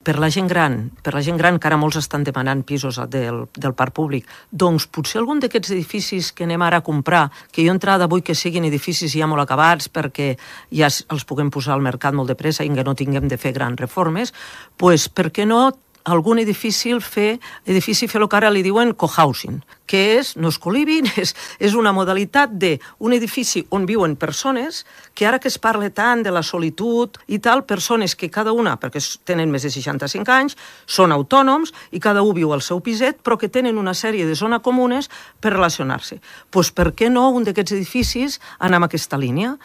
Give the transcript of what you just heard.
per la gent gran, que ara molts estan demanant pisos del parc públic, doncs potser algun d'aquests edificis que anem ara a comprar, que jo entrada vull que siguin edificis ja molt acabats perquè ja els puguem posar al mercat molt de pressa i que no tinguem de fer grans reformes, doncs per què no algun edifici fer el que ara li diuen cohousing, que no és co-living, és una modalitat d'un edifici on viuen persones que ara que es parla tant de la solitud i tal, persones que cada una, perquè tenen més de 65 anys, són autònoms i cada un viu al seu piset, però que tenen una sèrie de zones comunes per relacionar-se. Doncs per què no un d'aquests edificis anar en aquesta línia?